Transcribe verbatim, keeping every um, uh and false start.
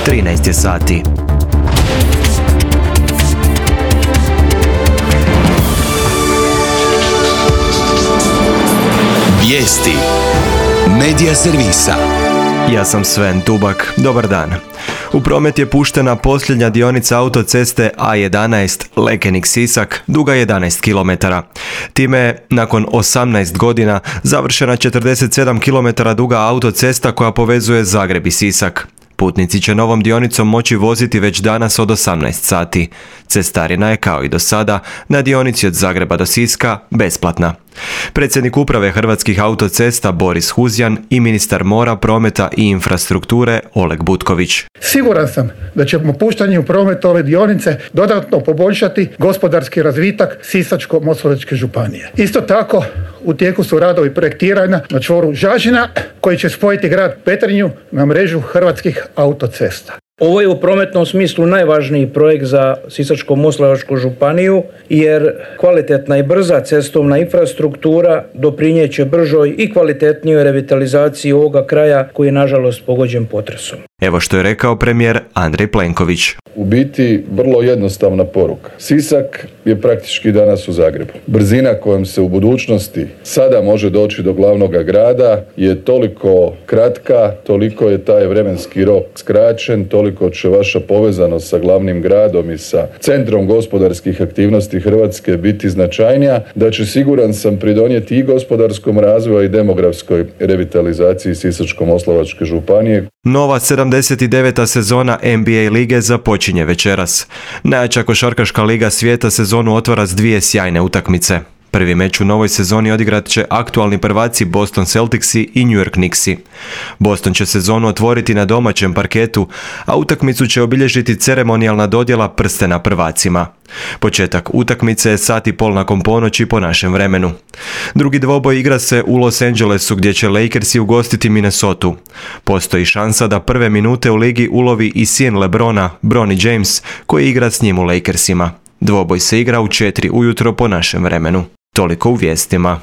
trinaest je sati. Vijesti Medija servisa. Ja sam Sven Tubak, dobar dan. U promet je puštena posljednja dionica autoceste A jedanaest Lekenik-Sisak, duga jedanaest kilometara. Time je, nakon osamnaest godina, završena četrdeset sedam kilometara duga autocesta koja povezuje Zagreb i Sisak. Putnici će novom dionicom moći voziti već danas od osamnaest sati. Cestarina je, kao i do sada, na dionici od Zagreba do Siska besplatna. Predsjednik uprave Hrvatskih autocesta Boris Huzjan i ministar mora, prometa i infrastrukture Oleg Butković. Siguran sam da ćemo puštanjem u promet ove dionice dodatno poboljšati gospodarski razvitak Sisačko-moslavačke županije. Isto tako, u tijeku su radovi projektiranja na čvoru Žažina koji će spojiti grad Petrinju na mrežu Hrvatskih autocesta. Ovo je u prometnom smislu najvažniji projekt za Sisačko-moslavačku županiju jer kvalitetna i brza cestovna infrastruktura doprinijet će bržoj i kvalitetnijoj revitalizaciji ovoga kraja koji je nažalost pogođen potresom. Evo što je rekao premijer Andrej Plenković. U biti vrlo jednostavna poruka. Sisak je praktički danas u Zagrebu. Brzina kojom se u budućnosti sada može doći do glavnog grada je toliko kratka, toliko je taj vremenski rok skraćen, toliko će vaša povezanost sa glavnim gradom i sa centrom gospodarskih aktivnosti Hrvatske biti značajnija, da će, siguran sam, pridonijeti i gospodarskom razvoju i demografskoj revitalizaciji Sisačko-moslavačke županije. Nova sedamdeset deveta sezona N B A lige započinje večeras. Najjača košarkaška liga svijeta sezonu otvara s dvije sjajne utakmice. Prvi meč u novoj sezoni odigrat će aktualni prvaci Boston Celticsi i New York Knicksi. Boston će sezonu otvoriti na domaćem parketu, a utakmicu će obilježiti ceremonijalna dodjela prstena prvacima. Početak utakmice je sat i pol nakon ponoći po našem vremenu. Drugi dvoboj igra se u Los Angelesu gdje će Lakersi ugostiti Minnesotu. Postoji šansa da prve minute u ligi ulovi i sin LeBrona, Bronny James, koji igra s njim u Lakersima. Dvoboj se igra u četiri ujutro po našem vremenu. Toliko u vijestima.